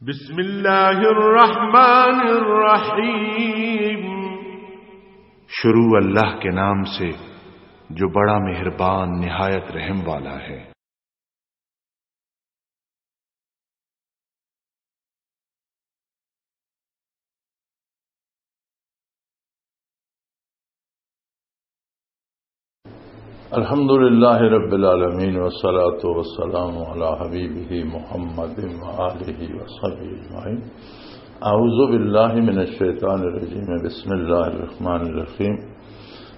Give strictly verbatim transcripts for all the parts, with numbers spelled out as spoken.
بسم اللہ الرحمن الرحیم۔ شروع اللہ کے نام سے جو بڑا مہربان نہایت رحم والا ہے۔ الحمد لله رب العالمين، والصلاة والسلام على حبيبه محمد وآله وصحبه أجمعين. أعوذ بالله من الشيطان الرجيم. بسم الله الرحمن الرحيم.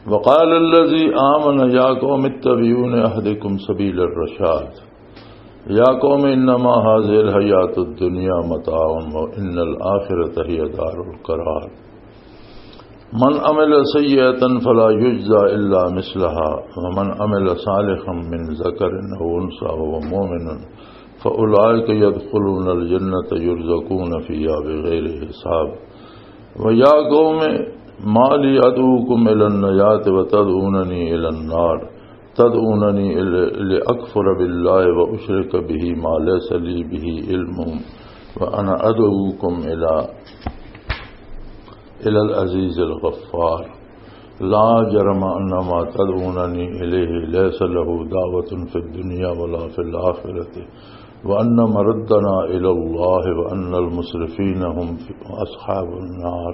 وقال الذي آمن يا قوم اتبعون أهدكم سبيل الرشاد. يا قوم إنما هذه الحياة الدنيا متاع وإن الآخرة هي دار القرار. من عمل سيئة فلا يجزى إلا مثلها ومن عمل صالحا من ذكر أو أنثى وهو مؤمن فأولئك يدخلون الجنة يرزقون فيها بغير حساب. ويا قوم ما لي أدعوكم إلى النجاة وتدعونني إلى النار. تدعونني إلى، لأكفر بالله وأشرك به ما ليس لي به علم، وأنا أدعوكم إلى، إلى العزيز الغفار. لا جرم أن ما تدعونني إليه ليس له دعوة في الدنيا ولا في الآخرة، وأن مردنا إلى الله، وأن المسرفين هم أصحاب النار.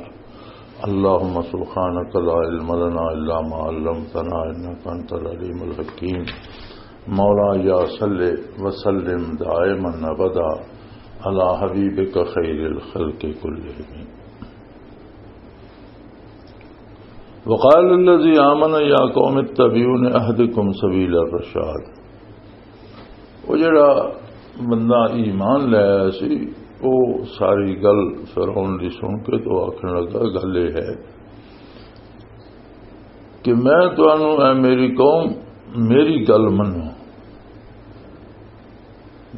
اللهم سبحانك لا علم لنا إلا ما علمتنا إنك أنت العليم الحكيم. مولاي صل وسلم دائما أبدا على حبيبك خير الخلق كلهم. وقال الذي آمن يا قوم اتبعون أهدكم سبيل الرشاد. وہ جڑا بندہ ایمان لے آیا سی، وہ ساری گل فرعون دی سن کے تو آکھن لگا، گل یہ ہے کہ میں تانوں، اے میری قوم، میری گل منو،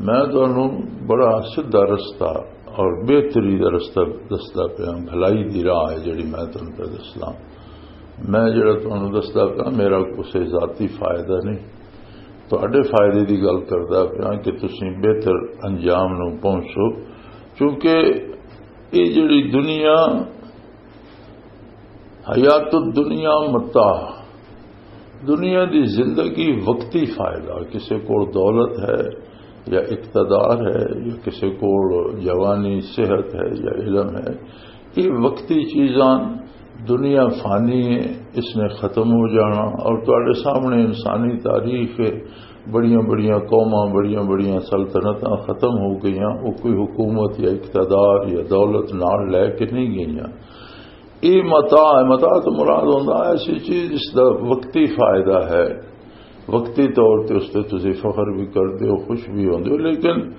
میں تانوں بڑا سیدھا رستہ اور بہتری دا رستہ دسدا پیا، بھلائی دی راہ ہے جڑی میں تانوں پہ دسدا۔ میں جڑا تانوں دسدا پیا، میرا کوئی ذاتی فائدہ نہیں، تہاڈے فائدے دی گل کردا پیا کہ تسی بہتر انجام نوں پہنچو، کیونکہ یہ جڑی دنیا، حیات الدنیا متاع، دنیا دی زندگی وقتی فائدہ، کسے کول دولت ہے یا اقتدار ہے یا کسے کول جوانی، صحت ہے یا علم ہے، یہ وقتی چیزاں، دنیا فانی ہے، اس نے ختم ہو جانا۔ اور تواڈے سامنے انسانی تاریخ ہے، بڑیاں بڑیاں قوماں، بڑیاں بڑیاں سلطنتاں ختم ہو گئیاں، وہ کوئی حکومت یا اقتدار یا دولت نال لے کے نہیں گئیاں۔ یہ متاع ہے، متاع تو مراد ہوندا ہے ایسی چیز جس دا وقتی فائدہ ہے، وقتی طور تے اس تے تسی فخر بھی کردے ہو، خوش بھی ہوندے ہو، لیکن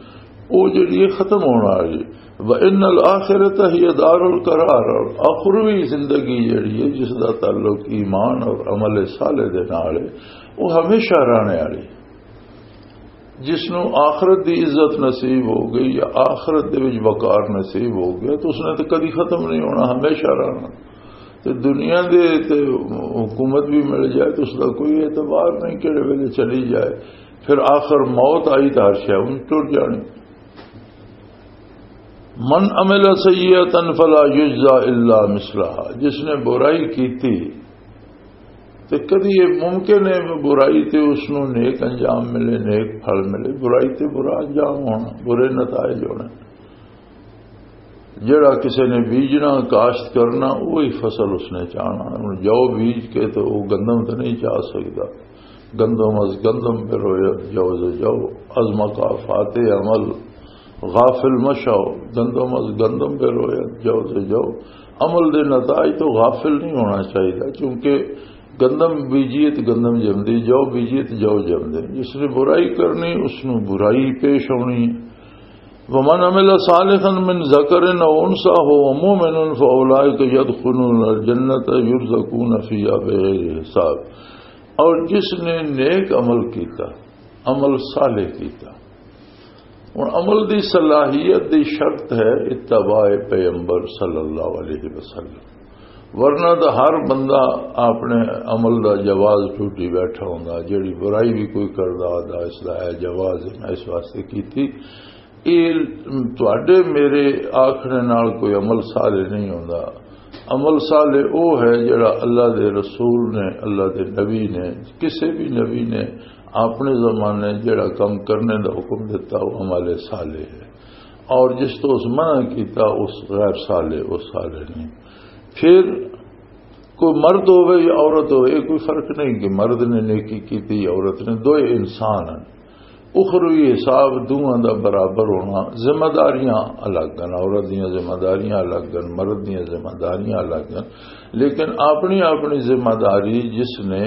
وہ جڑی ہے ختم ہونا والی۔ وَإِنَّ الْآخِرَةَ هِيَ دَارُ الْقَرَارِ، اور آخروی زندگی جڑی ہے جس دا تعلق ایمان اور عمل صالح دے نال ہے، وہ ہمیشہ رہنے والی۔ جس نوں آخرت دی عزت نصیب ہو گئی یا آخرت دے وچ وقار نصیب ہو گیا تو اس نے تو کدی ختم نہیں ہونا، ہمیشہ رہنا۔ تے دنیا دے تے حکومت بھی مل جائے تو اس دا کوئی اعتبار نہیں، کہڑے ویلے چلی جائے۔ پھر آخر موت آئی تو ہر شے ان ٹر جانی۔ من عمل سیئتا فلا یجزا الا مثلہا، جس نے برائی کیتی تے کدی یہ ممکن ہے برائی تے اس نوں نیک انجام ملے، نیک پھل ملے؟ برائی تے برا انجام ہونا، برے نتائج ہونے۔ جڑا کسے نے بیجنا، کاشت کرنا، وہی فصل اس نے چاہنا۔ ہن جو بیج کے تو وہ گندم تو نہیں چاہ سکدا۔ گندم از گندم بروید جو ز جو، از مکافات عمل غافل مشو۔ گندم از گندم بروید جو ز جو، عمل دے نتائج تو غافل نہیں ہونا چاہیے، کیونکہ گندم بیجیے تو گندم جمدی، جو بیجیے تو جو جمدے۔ جس نے برائی کرنی، اس نوں برائی پیش ہونی ہے۔ ومن عمل صالحا من ذکر او انثی وهو مؤمن فاولئک یدخلون الجنۃ یرزقون فیہا بغیر حساب۔ اور جس نے نیک عمل کیتا، عمل صالح کیتا، ہن عمل دی صلاحیت دی شرط ہے اتباع پیغمبر صلی اللہ علیہ وسلم، ورنہ تو ہر بندہ اپنے عمل دا جواز ٹوٹی بیٹھا ہوندا، جڑی برائی بھی کوئی کردا آدا اس دا ہے جواز ہے، میں اس واسطے کیتی۔ یہ تواڈے میرے آخنے نال کوئی عمل صالح نہیں ہوندا۔ عمل صالح او ہے جڑا اللہ دے رسول نے، اللہ دے نبی نے، کسے بھی نبی نے اپنے زمانے جڑا کم کرنے دا حکم دیتا، وہ عمل صالح ہے، اور جس تو اس منع کیتا، اس غیر صالح، وہ صالح نہیں۔ پھر کوئی مرد ہوئے یا عورت ہوئے، یہ کوئی فرق نہیں کہ مرد نے نیکی کی تھی یا عورت نے، دوئے انسان ہیں۔ اخروی حساب دوواں دا برابر ہونا، ذمہ داریاں الگ ہیں، عورت دیاں ذمہ داریاں الگ ہیں، مرد دیاں ذمہ داریاں الگ ہیں، لیکن اپنی اپنی ذمہ داری جس نے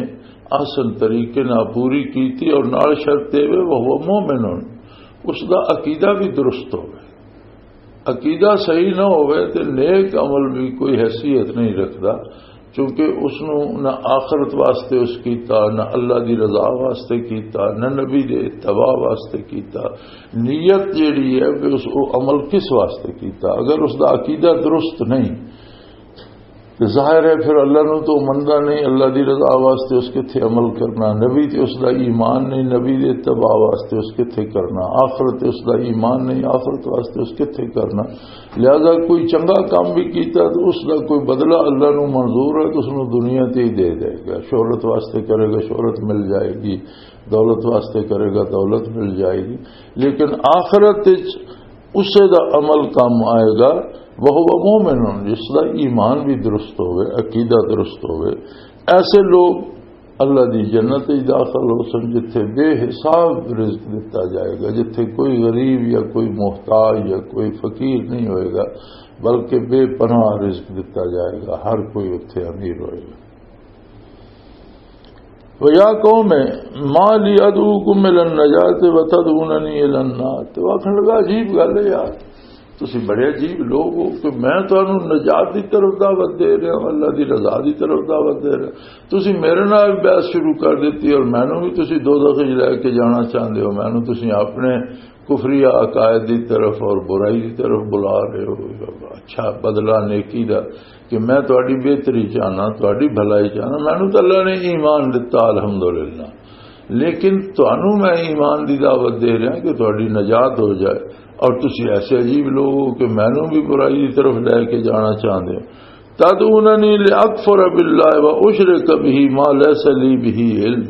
احسن طریقے نال پوری کیتی اور نال شرط اے وے، وہو مومن، اس دا عقیدہ بھی درست ہوئے۔ عقیدہ صحیح نہ ہوئے تے نیک عمل بھی کوئی حیثیت نہیں رکھدا، کیونکہ اس نو نہ آخرت واسطے اس کیتا، نہ اللہ دی رضا واسطے کیتا، نہ نبی دے اتباع واسطے کیتا۔ نیت جیڑی ہے کہ اس، او عمل کس واسطے کیتا؟ اگر اس دا عقیدہ درست نہیں تے ظاہر ہے پھر اللہ نو تو مندا نہیں، اللہ دی رضا واسطے اس کتھے عمل کرنا، نبی تے اس دا ایمان نہیں، نبی دے اتباع واسطے اس کتھے کرنا، آخرت تے اس دا ایمان نہیں، آخرت واسطے اس کتھے کرنا۔ لہذا کوئی چنگا کام بھی کیتا تو اس دا کوئی بدلہ اللہ نو منظور ہے تو اس نو دنیا تے ہی دے دے گا۔ شہرت واسطے کرے گا، شہرت مل جائے گی، دولت واسطے کرے گا، دولت مل جائے گی، لیکن آخرت وچ اسے دا عمل کام آئے گا، وہ مومن، جس دا ایمان بھی درست ہوئے، عقیدہ درست ہوئے۔ ایسے لوگ اللہ دی جنت وچ داخل ہو سن، جتھے بے حساب رزق دتا جائے گا، جتھے کوئی غریب یا کوئی محتاج یا کوئی فقیر نہیں ہوئے گا، بلکہ بے پناہ رزق دتا جائے گا، ہر کوئی اتھے امیر ہوئے گا۔ وَيَا قَوْمِ مَا لِي أَدْعُوكُمْ إِلَى النَّجَاةِ وَتَدْعُونَنِي إِلَى النَّارِ۔ تو آخر لگا، عجیب گل ہے یار، تسی بڑے عجیب لوگ ہو کہ میں تانوں نجات دی طرف دعوت دے رہا ہوں، اللہ دی رضا دی طرف دعوت دے رہا ہوں، تسی میرے نال بحث شروع کر دیتی اور مینوں بھی تسی دوزخ وچ لے کے جانا چاہندے ہو، مینوں تسی اپنے کفری عقائد دی طرف اور برائی دی طرف بلا رہے ہو۔ اچھا بدلہ نیکی دا کہ میں تہاڈی بہتری چاہنا، تہاڈی بھلائی چاہنا، مینوں تے اللہ نے ایمان دتا، الحمدللہ، لیکن تہانوں میں ایمان دی دعوت دے رہا کہ تہاڈی نجات ہو جائے، اور تسی ایسے عجیب لوگ ہو کہ مینوں بھی برائی دی طرف لے کے جانا چاہندے ہو۔ تدعوننی لأکفر باللہ وأشرک بہ ما لیس لی بہ علم۔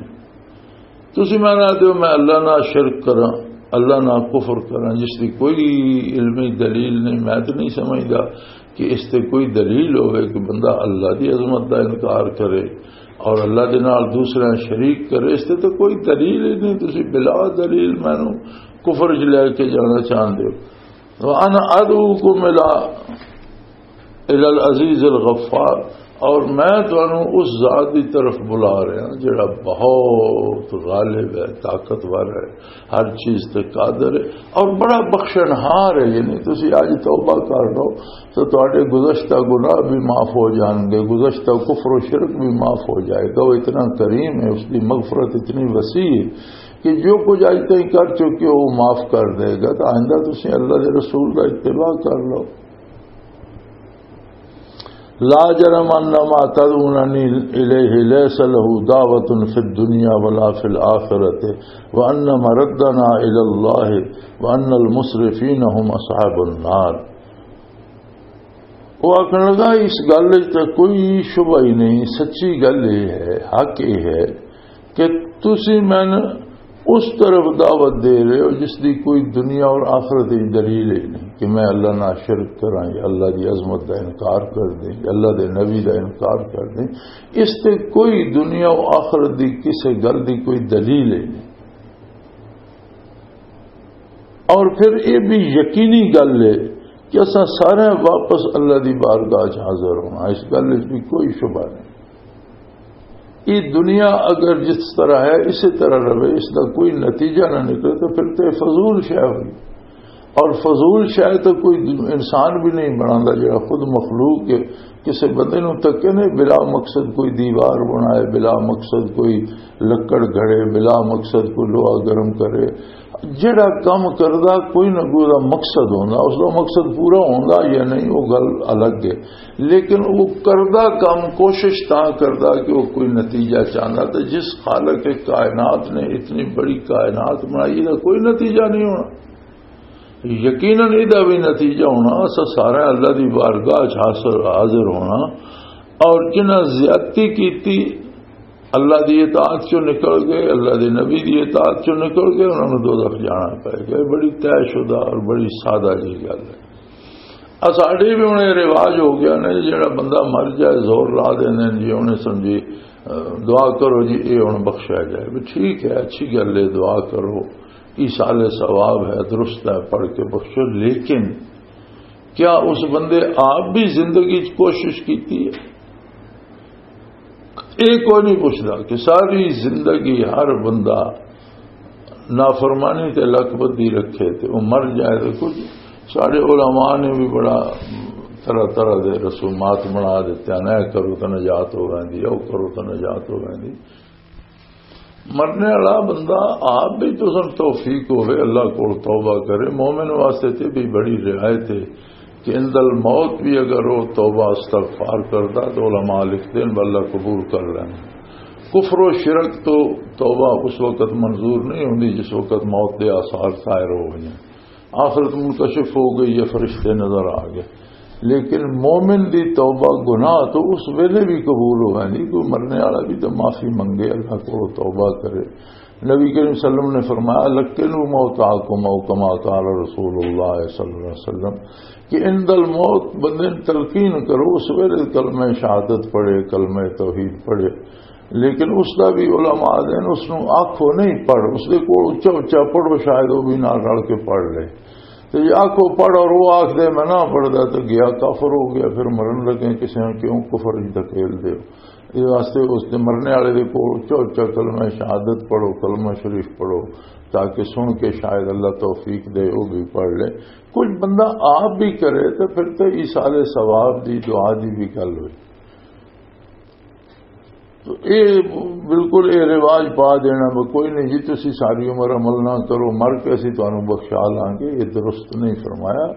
تسی میں نہ دیو میں اللہ نہ شرک کراں، اللہ نہ کفر کراں، جس دی کوئی علمی دلیل نہیں۔ میں تو نہیں سمجھدا کہ اس تے کوئی دلیل ہوئے کہ بندہ اللہ دی عظمت دا انکار کرے اور اللہ دے نال دوسرے شریک کرے۔ اس تے تو کوئی دلیل ہی نہیں، تسی بلا دلیل مینوں کفر وچ لے کے جانا چاہندے ہو۔ وَأَنَا أَدْعُوكُمْ إِلَى، إِلَى الْعَزِيزِ الْغَفَّارِ، اور میں تانوں اس ذات دی طرف بلا رہا ہاں جڑا بہت غالب ہے، طاقتور ہے، ہر چیز تے قادر ہے اور بڑا بخشنہار ہے۔ یعنی تسی اج توبہ کر لو تو تہاڈے گزشتہ گناہ بھی معاف ہو جان گے، گزشتہ کفر و شرک بھی معاف ہو جائے گا۔ وہ اتنا کریم ہے، اس کی مغفرت اتنی وسیع ہے کہ جو کچھ اج تائیں کر چکے ہو وہ معاف کر دے گا۔ تو آئندہ تسی اللہ دے رسول دا اتباع کر لو۔ لا جرم ان ما تدعوننی الیہ لیس لہ دعوۃ فی الدنیا ولا فی الآخرۃ وان مردنا الی اللہ وان المسرفین هم اصحاب النار۔ وہ آخر لگا، اس گل وچ تے کوئی شبہ ہی نہیں، سچی گل یہ ہے، حق یہ ہے کہ تسی مینوں اس طرف دعوت دے رہے ہو جس دی کوئی دنیا اور آخرت دی دلیل ہی نہیں کہ میں اللہ نال شرک کراں یا اللہ دی عظمت دا انکار کر دیں یا اللہ دے نبی دا انکار کر دیں۔ اس تے کوئی دنیا و آخرت دی کسے گل دی کوئی دلیل ہی نہیں۔ اور پھر یہ بھی یقینی گل ہے کہ اساں سارے واپس اللہ دی بارگاہ چ حاضر ہونا، اس گل وچ بھی کوئی شبہ نہیں۔ یہ دنیا اگر جس طرح ہے اسی طرح رہے، اس کا کوئی نتیجہ نہ نکلے تو پھر تو یہ فضول شے ہوئی۔ اور فضول شے تو کوئی انسان بھی نہیں بناتا جڑا خود مخلوق کے کسی بندے نو تکے نے بلا مقصد کوئی دیوار بنائے، بلا مقصد کوئی لکڑ گھڑے، بلا مقصد کوئی لوہا گرم کرے۔ جڑا کم کردا کوئی نہ کوئی دا مقصد ہوندا، اس دا مقصد پورا ہوندا یا نہیں وہ گل الگ ہے، لیکن وہ کردا کم کوشش تاں کردا کہ وہ کوئی نتیجہ چاہندا۔ تے جس خالق کائنات نے اتنی بڑی کائنات بنائی، دا کوئی نتیجہ نہیں ہونا۔ یقیناً، یہ بھی نتیجہ ہونا، اسا سارا اللہ دی بارگاہ چ حاضر، حاضر ہونا۔ اور جنہاں زیادتی کیتی، اللہ دی اطاعت چوں نکل گئے، اللہ دے نبی دی اطاعت چوں نکل گئے، انہاں نوں دوزخ جانا پے گا۔ یہ بڑی طے شدہ اور بڑی سادہ جی گل ہے۔ آ ساڈے بھی ہن یہ رواج ہو گیا نے، جڑا بندہ مر جائے، زور لا دیندے نے جی، انہیں سمجھی، اہ، دعا کرو جی، یہ ہن بخشیا جائے۔ بھی ٹھیک ہے، اچھی گل ہے، دعا کرو، ایصال ثواب ہے، درست ہے، پڑھ کے بخشو۔ لیکن کیا اس بندے آپ بھی زندگی چ کوشش کیتی ہے؟ یہ کوئی نہیں پوچھتا کہ ساری زندگی ہر بندہ نافرمانی تے لکھ بدی رکھے تے وہ مر جائے۔ تے کچھ سارے علماء نے بھی بڑا طرح طرح دے رسومات بنا دیتے ہیں، اے کرو تو نجات ہو ویندی، او کرو تو نجات ہو ویندی۔ مرنے والا بندہ آپ بھی تو سن توفیق ہوئے، اللہ کول توبہ کرے۔ مومن واسطے تے بھی بڑی رعایت ہے کہ عند الموت بھی اگر وہ توبہ استغفار کردا تو علماء لکھتے ہیں، اللہ قبول کر لینا۔ کفر و شرک تو توبہ اس وقت منظور نہیں ہوندی جس وقت موت دے آثار ظاہر ہو گئے ہیں، آخرت منکشف ہو گئی ہے، فرشتے نظر آ گئے۔ لیکن مومن دی توبہ گناہ تو اس ویلے بھی قبول ہو گئی، کوئی مرنے والا بھی تو معافی منگے، اللہ کو توبہ کرے۔ نبی کریم صلی اللہ علیہ وسلم نے فرمایا، "لقنوا موتاکم"، او کما قال رسول اللہ صلی اللہ علیہ وسلم، کہ عند الموت بندے نے تلقین کرو، اس ویلے کلمہ شہادت پڑھے، کلمہ توحید پڑھے۔ لیکن اس دا بھی علماء دے نے، اس نوں آکھو نہیں پڑھ، اس دے کول اچا اچا پڑھو، شاید وہ بھی نال رل کے پڑھ لے۔ تے جے آکھو پڑھ اور وہ آکھ دے میں نہ پڑھدا تے گیا، کافر ہو گیا، پھر مرن لگے کسے نے کیوں کفر ہی دھکیل دے۔ اس واسطے اس دے مرنے والے دے کول اچا اچا کلمہ شہادت پڑھو، کلمہ شریف پڑھو، تاکہ سن کے شاید اللہ توفیق دے، وہ بھی پڑھ لے۔ کچھ بندہ آپ بھی کرے تو پھر تو ایصال ثواب دی دعا دی بھی گل ہوئی۔ تو اے بالکل اے رواج پا دینا، میں کوئی نہیں جی، تسی ساری عمر عمل نہ کرو، مر کے اسی تانوں بخشا لانگے، یہ درست نہیں فرمایا۔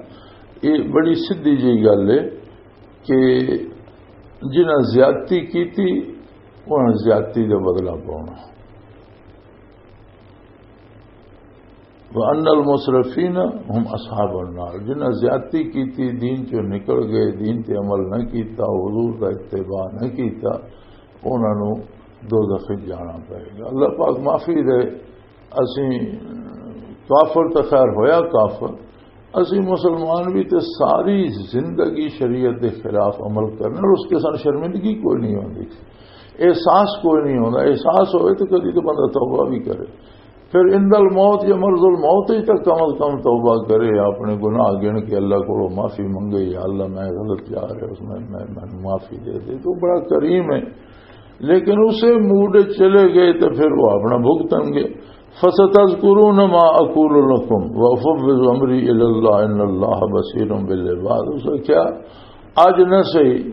یہ بڑی سدھی جی گل ہے کہ جنہاں زیادتی کیتی، انہاں زیادتی دا بدلہ پاؤنا۔ وَأَنَّ الْمُسْرِفِينَ هُمْ أَصْحَابُ النَّارِ، جنہاں زیادتی کیتی، دین چوں نکل گئے، دین تے عمل نہ کیتا، حضور دا اتباع نہ کیتا، انہاں نوں دوزخ وچ جانا پئے گا۔ اللہ پاک معافی دے۔ اسیں کافر تے خیر ہویا کافر، اسیں مسلمان بھی تے ساری زندگی شریعت دے خلاف عمل کرنا اور اس کے ساتھ شرمندگی کوئی نہیں ہوندی، احساس کوئی نہیں ہوندا۔ احساس ہوئے تو کدی تو بندہ توبہ بھی کرے۔ پھر عند الموت یا مرض الموت ہی تک کم از کم توبہ کرے، اپنے گناہ گن کے اللہ کو معافی منگے، "یا اللہ، میں غلط جا رہا ہوں، میں، میں، میں معافی دے دے۔" تو بڑا کریم ہے۔ لیکن اسے موڈ چلے گئے تو پھر وہ اپنا بھگتن گے۔ فَسَتَذْكُرُونَ مَا أَقُولُ لَكُمْ وَأُفَوِّضُ أَمْرِي إِلَى اللَّهِ إِنَّ اللَّهَ بَصِيرٌ بِالْعِبَادِ۔ اس نے کہا، آج نہ صحیح،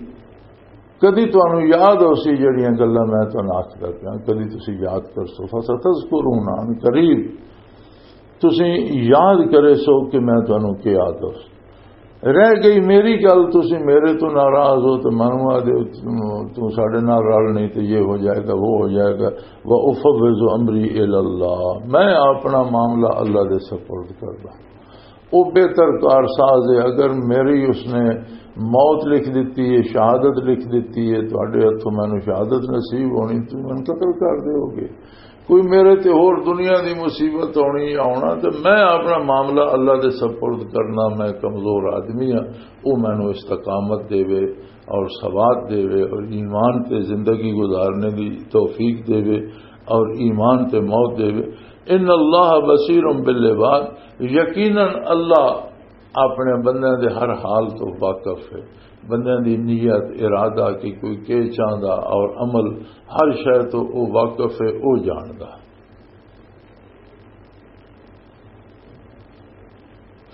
کدی تانوں یاد ہو سی جڑیاں گلاں میں تانوں آکھدا پیاں، کدی تسی یاد کر سو۔ فَسَتَذْكُرُونَ، عن قریب تسی یاد کرے سو کہ میں تانوں کیا آکھدا سی۔ رہ گئی میری گل، تسی میرے تو ناراض ہو تو مینوں آ دے، تو ساڈے نال رل نہیں تو یہ ہو جائے گا، وہ ہو جائے گا۔ وَأُفَوِّضُ أَمْرِي إِلَى اللَّهِ، میں اپنا معاملہ اللہ دے سپرد کردا۔ وہ بہتر کارساز ہے۔ اگر میری اس نے موت لکھ دیتی ہے، شہادت لکھ دیتی ہے، تہاڈے ہتھوں مینوں شہادت نصیب ہونی، تسی مینوں قتل کر دیو گے۔ کوئی میرے تے ہور دنیا دی مصیبت ہونی یا ہونا، تے میں اپنا معاملہ اللہ دے سپرد کرنا، میں کمزور آدمی ہاں، وہ مینوں استقامت دے وے اور ثبات دے وے اور ایمان تے زندگی گزارنے دی توفیق دے وے اور ایمان تے موت دے وے۔ ان اللہ بصیر بالعباد، یقیناً اللہ اپنے بندیاں دے ہر حال تو واقف ہے، بندیاں دی نیت، ارادہ کہ کوئی کے چاہندا اور عمل، ہر شے تو او واقف ہے، او جاندا۔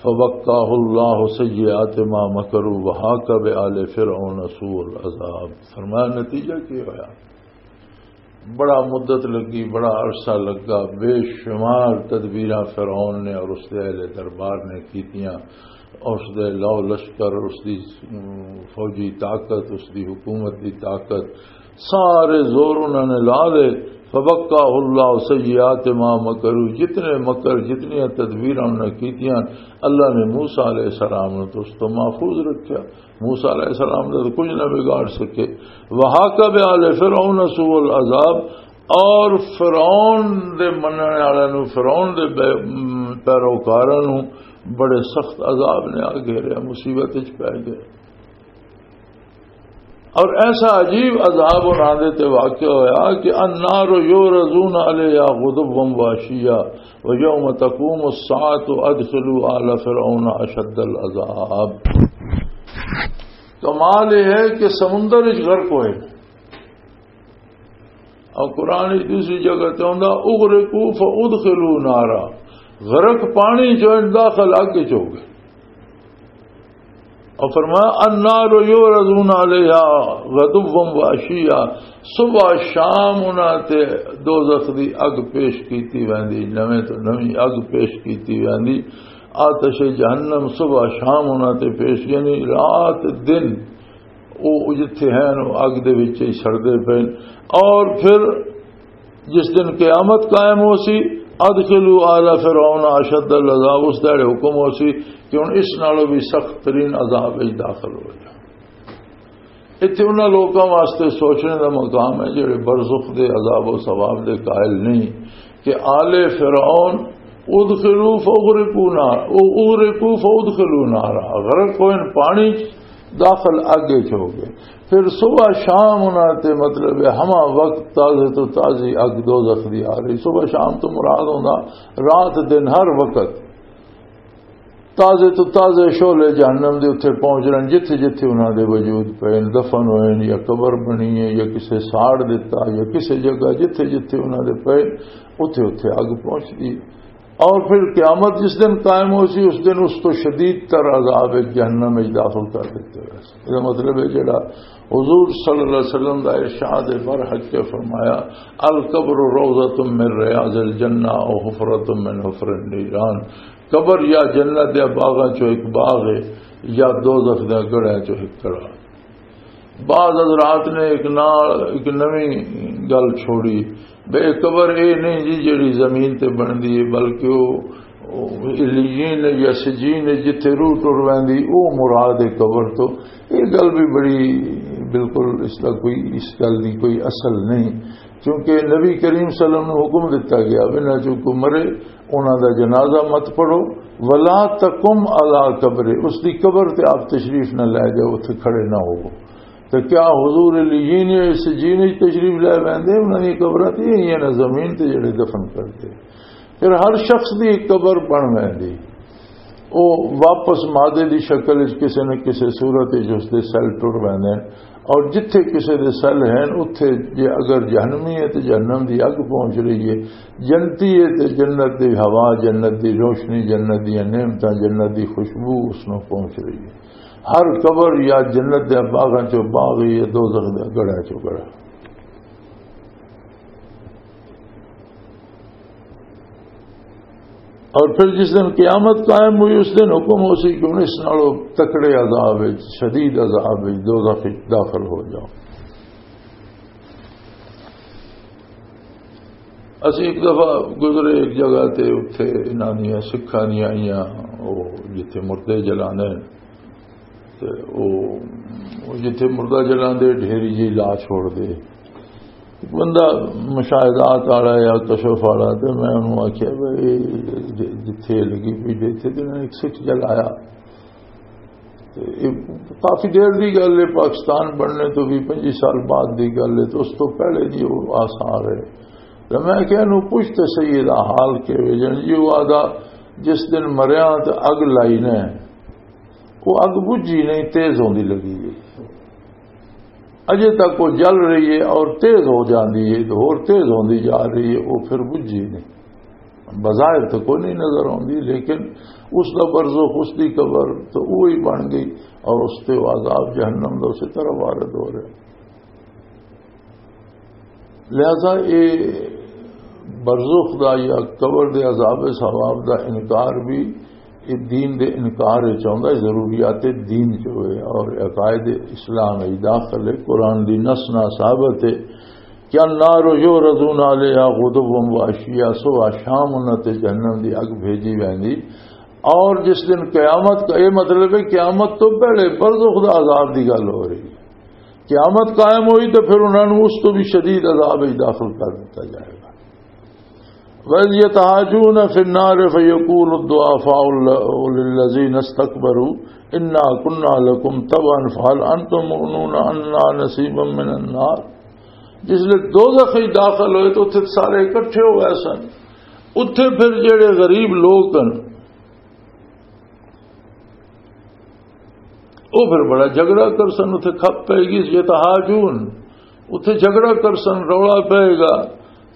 فوقاه الله سيئات ما مكروا وحاق بآل فرعون سوء العذاب۔ فرمایا، نتیجہ کی ہویا؟ بڑا مدت لگی، بڑا عرصہ لگا، بے شمار تدبیراں فرعون نے اور اس دے اہل دربار نے کیتیاں، اور اس دے لو لشکر، اس دی، ام، فوجی طاقت، اس دی حکومت دی طاقت، سارے زور انہوں نے لا دے، فوقاه اللہ سیئات ما مکروا، جتنے مکر، جتنی تدبیراں انہوں نے کیتیاں، اللہ نے موسیٰ علیہ السلام نے تو اس تو محفوظ رکھیا۔ موسیٰ علیہ السلام نے تو کچھ نہ بگاڑ سکے۔ وحاق بآل فرعون سوء العذاب، اور فرعون دے مننے والے نو، فرعون دے بے-، م، پیروکاراں نو بڑے سخت عذاب نے آ گھیریا، مصیبت وچ پے گئے۔ اور ایسا عجیب عذاب انہاں دے تے واقع ہویا کہ النار یعرضون علیہا غدوا وعشیا ویوم تقوم الساعة ادخلوا آل فرعون اشد العذاب۔ کمال یہ ہے کہ سمندر وچ غرق ہوئے، اور قرآن وچ دوسری جگہ تے ہوندا، "اغرقوا فادخلوا نارا"، غرق پانی چ ہوئے، داخل اگ چ ہو گئے۔ اور فرمایا، "النار یعرضون علیہا غدوا وعشیا"، صبح شام انہاں تے دوزخ دی اگ پیش کیتی ویندی، نویں تو نویں اگ پیش کیتی ویندی۔ آتش جہنم صبح شام انہاں تے پیش، یعنی رات دن او جتھے ہیں، او اگ دے وچ ہی سڑدے پئے۔ اور پھر جس دن قیامت قائم ہو سی، "ادخلوا آل فرعون اشد العذاب"، اس دہاڑے حکم ہو سی کہ ہن اس نالوں بھی سخت ترین عذاب وچ داخل ہو جاؤ۔ اتھے انہاں لوکاں واسطے سوچنے دا مقام ہے جڑے برزخ دے عذاب و ثواب دے قائل نہیں، کہ آل فرعون ادخلوا فاغرقوا نار، او اغرقوا فادخلوا نارا، غرق ہوئے پانی چ، داخل اگ وچ ہو گئے۔ پھر صبح شام انہاں تے، مطلب ہے، ہما وقت تازے تو تازی اگ دوزخ دی آ رہی۔ صبح شام تو مراد ہوندا رات دن ہر وقت تازے تو تازے شعلے جہنم دے اتھے پہنچ رہے ہیں، جتھے جتھے انہاں دے وجود پے نے، دفن ہوئے نے، یا قبر بنی ہے، یا کسے ساڑ دتا، یا کسے جگہ جتھے جتھے انہاں دے پے، اتھے اتھے اگ پہنچ گئی۔ اور پھر قیامت جس دن قائم ہو سی، اس دن اس تو شدید تر عذاب جہنم وچ داخل کر دیتے ہوئے سی۔ یہ مطلب ہے جڑا حضور صلی اللہ علیہ وسلم دا ارشاد برحق کے فرمایا، "القبر روضۃ من ریاض الجنہ او حفرۃ من حفر النیران"، قبر یا جنت دے باغاں چوں ایک باغ ہے، یا دوزخ دے گڑھاں چوں ایک گڑھا۔ بعض حضرات نے ایک نال ایک نویں گل چھوڑی، بے قبر اے نہیں جی جڑی زمین تے بندی ہے، بلکہ وہ علیین یا سجین ہے، جتھے روح ٹر ویندی، او مراد ہے قبر تو۔ یہ گل بھی بڑی، بالکل اس دا کوئی، اس گل دی کوئی اصل نہیں، کیونکہ نبی کریم صلی اللہ علیہ وسلم نوں حکم دتا گیا، انہاں چوں کوئی مرے، انہاں دا جنازہ مت پڑھو، "ولا تقم علی قبر"، اس دی قبر تے آپ تشریف نہ لے جاؤ، اتھے کھڑے نہ ہوو۔ تے کیا حضور علیین اس جین وچ تشریف لے ویندے؟ انہاں دی قبراں تے ہی ہیں نا، زمین تے جڑے دفن کردے۔ پھر ہر شخص دی ایک قبر بن ویندی، او واپس مادے دی شکل وچ کسے نہ کسے صورت وچ اس دے سیل ٹر ویندے ہیں۔ اور جتھے کسے دے سیل ہیں، اتھے جے اگر جہنمی ہے تے جہنم دی اگ پہنچ رہی ہے، جنتی ہے تے جنت دی ہوا، جنت دی روشنی، جنت دی نعمتاں، جنت دی خوشبو اس نوں پہنچ رہی ہے۔ ہر قبر یا جنت دے باغاں چوں باغ ہے، دوزخ دے گڑھاں چوں گڑھا۔ اور پھر جس دن قیامت قائم ہوئی، اس دن حکم ہو سی کہ ہن اس نالوں تکڑے عذاب وچ، شدید عذاب وچ، دوزخ وچ داخل ہو جاؤ۔ اسی ایک دفعہ گزرے ایک جگہ تے، اتھے انہاں دیاں سکھاں دیاں آئیاں، او جتھے مردے جلانے، تے او، او جتھے مردہ جلاندے، ڈھیری جی لا چھوڑ دے۔ بندہ مشاہدات والا یا کشف والا، تے میں انہوں آکھیا، "بھئی، ج-، جتھے لگی پئی، جتھے تے انہوں نے ایک سکھ جلایا۔" تے اے کافی دیر دی گل ہے، پاکستان بننے تو بھی پنجی سال بعد دی گل ہے، تو اس تو پہلے دی وہ آثار ہے۔ تے میں کہیا، "نو پوچھ تے صحیح، دا حال کیویں جن جی؟" وہ آدھا، "جس دن مریاں تے اگ لائی نے، وہ اگ بجھی نہیں، تیز ہوندی لگی ہے۔ اجے تک وہ جل رہی ہے اور تیز ہو جاندی ہے، تو ہور تیز ہوندی جا رہی ہے، وہ پھر بجھی نہیں۔" بظاہر تو کوئی نہیں نظر آندی، لیکن اس دا برزخ، اس دی قبر تو وہی بن گئی، اور اس تے وہ عذاب جہنم دا اسی طرح وارد ہو رہا ہے۔ لہذا اے برزخ دا یا قبر دے عذاب ثواب دا انکار بھی اے دین دے انکار وچ آوندا ہے، ضروریات دین چ ہوئے اور عقائد اسلام وچ داخل ہے، قرآن دی نص نال ثابت ہے۔ کہ النار یعرضون علیہا غدوا و عشیا، صبح شام انہاں تے جہنم دی اگ بھیجی ویندی۔ اور جس دن قیامت کا، یہ مطلب ہے قیامت تو پہلے برزخ دا عذاب دی گل ہو رہی ہے۔ قیامت قائم ہوئی تو پھر انہاں نوں اس تو بھی شدید عذاب وچ داخل کر دتا جائے گا۔ وَإِذْ يَتَحَاجُّونَ فِي النَّارِ فَيَقُولُ الضُّعَفَاءُ لِلَّذِينَ اسْتَكْبَرُوا إِنَّا كُنَّا لَكُمْ تَبَعًا فَهَلْ أَنْتُمْ مُغْنُونَ عَنَّا نَصِيبًا مِنَ النَّارِ۔ جس لے دوزخ وچ داخل ہوئے تو اتھے سارے اکٹھے ہو گئے سن۔ اتھے پھر جڑے غریب لوگ ہن، وہ پھر بڑا جھگڑا کرسن، اتھے کھپ پے گی، یتحاجون، اتھے جھگڑا کرسن، رولا پے گا۔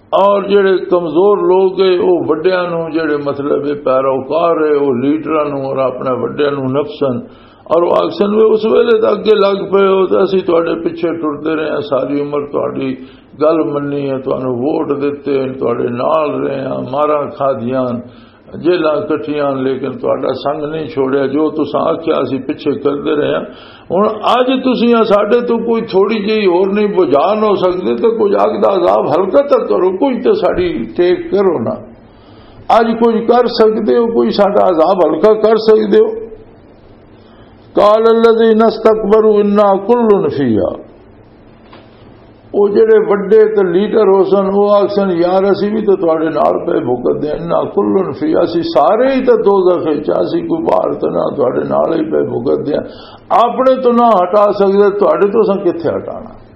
اور جڑے کمزور لوگ گئے، وہ وڈیاں نوں، جڑے مطلب ہے پیروکار ہے، وہ لیڈراں نوں اور اپنے وڈیاں نوں نپسن۔ اور وہ آکسن، "وے اس ویلے تو اگے لگ پے ہو، تو اسی تواڈے پیچھے ٹردے رہے ہیں، ساری عمر تواڈی گل منی ہے، تانوں ووٹ دتے ہیں، تواڈے نال رہے ہیں، ماراں کھادیاں، جیلاں کٹیاں، لیکن تہاڈا سنگ نہیں چھوڑیا۔ جو تساں آکھیا، اسی پیچھے کردے رہے ہاں۔ ہن اج تساں ساڈے تو کوئی تھوڑی جہی ہور نہیں بجھا نہ ہو سکدے، تے کوئی اگ دا عذاب ہلکا تک کرو، کوئی تے ساڈی ٹیک کرو نا۔ اج کچھ کر سکدے ہو، کوئی ساڈا عذاب ہلکا کر سکدے ہو؟" قال الذين استكبروا إنا كل فيها۔ او جڑے وڈے تے لیڈر ہو سن، او آکھسن، "یار، اسی بھی تے تواڈے نال پے بھگت دے، انا کلن فی، اسی سارے ہی تے دوزخ وچ، اسی کوئی باہر تے نہ، تواڈے نال ہی پے بھگت دے۔" اپنے تو نہ ہٹا سکدے، تواڈے تو اساں کتھے ہٹانا؟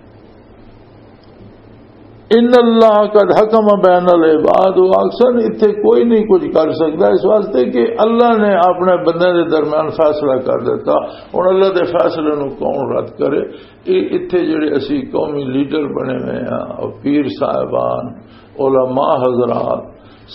ان اللہ قد حکم بین العباد، وہ آکھسن، اتھے کوئی نہیں کچھ کر سکدا، اس واسطے کہ اللہ نے اپنے بندے دے درمیان فیصلہ کر دیتا۔ ہن اللہ دے فیصلے نو کون رد کرے؟ اے اتھے جڑے اسی قومی لیڈر بنے ہوئے ہاں، اور پیر صاحبان، علماء حضرات،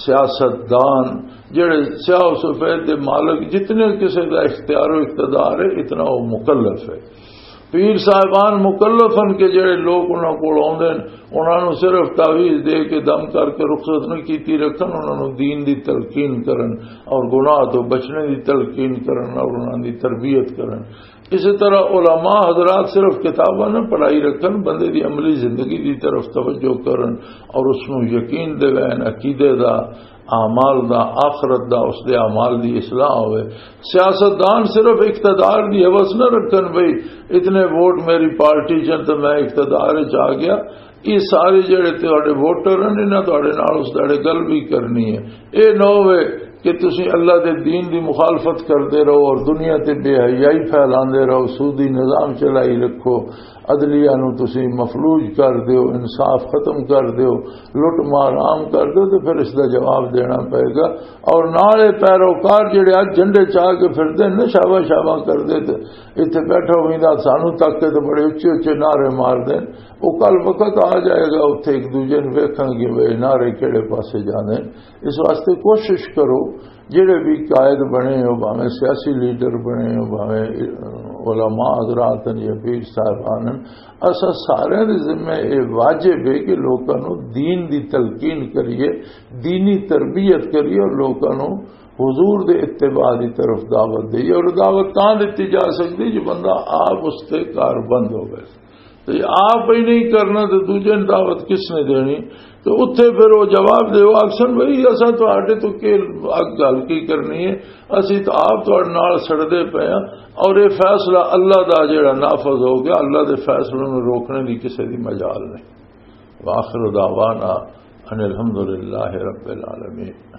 سیاست دان، جڑے سیاہ و سفید دے مالک، جتنے کسے دا اختیار و اقتدار ہے، اتنا وہ مکلف ہے۔ پیر صاحبان مکلف ہن کہ جڑے لوگ انہاں کول آوندے ہن، انہاں نوں صرف تعویذ دے کے، دم کر کے رخصت نہ کیتی رکھن، انہاں نوں دین دی تلقین کرن اور گناہ تو بچنے دی تلقین کرن اور انہاں دی تربیت کرن۔ اسی طرح علماء حضرات صرف کتاباں نہ پڑھائی رکھن، بندے دی عملی زندگی دی طرف توجہ کرن اور اس نوں یقین دیوین، عقیدے دا، اعمال دا، آخرت دا، اس دے اعمال دی اصلاح ہوئے۔ سیاستدان صرف اقتدار دی ہوس نہ رکھن، بھئی اتنے ووٹ میری پارٹی چن تے میں اقتدار وچ آ گیا۔ یہ سارے جڑے تہاڈے ووٹر ہیں، انہاں تہاڈے نال اس داڑے گل بھی کرنی ہے۔ یہ نہ ہوئے کہ تسی اللہ دے دین دی مخالفت کردے رہو اور دنیا تے بے حیائی پھیلاندے رہو، سودی نظام چلائی رکھو، عدلیہ نو تسی مفلوج کر دیو، انصاف ختم کر دیو، لٹ مار عام کر دیو، تے پھر اس دا جواب دینا پئے گا۔ اور نالے پیروکار جڑے اج جھنڈے چا کے پھردے نے، شابا شابا کردے، تے اتھے بیٹھا ہوئی دا سانو تک کے تے بڑے اچے اچے نعرے مار دے۔ وہ کل وقت آ جائے گا، اتھے ایک دوجے نو ویکھاں گے، وہ نعرے کہڑے پاسے جانے۔ اس واسطے کوشش کرو، جڑے بھی قائد بنے ہو، بھاویں سیاسی لیڈر بنے ہو، بھاویں علماء حضرات ہیں یا پیر صاحبان ہیں، اساں سارے دے ذمہ یہ واجب ہے کہ لوکاں نو دین دی تلقین کریے، دینی تربیت کریے اور لوکاں نو حضور دے اتباع دی طرف دعوت دئیے۔ اور دعوت تاں دتی جا سکدی جو بندہ آپ اس تے کار بند ہوے۔ تے آپ ہی نہیں کرنا تے دوجے نوں دعوت کس نے دینی؟ تے اتھے پھر وہ جواب دے، وہ آکھسن، "بھئی، اساں تہاڈے تو کی اگ گل کی کرنی ہے؟ اسی تو آپ تہاڈے نال سڑدے پئے ہاں، اور یہ فیصلہ اللہ دا جڑا نافذ ہو گیا، اللہ دے فیصلے نوں روکنے دی کسے دی مجال نہیں۔" وآخر دعوانا ان الحمدللہ رب العالمین۔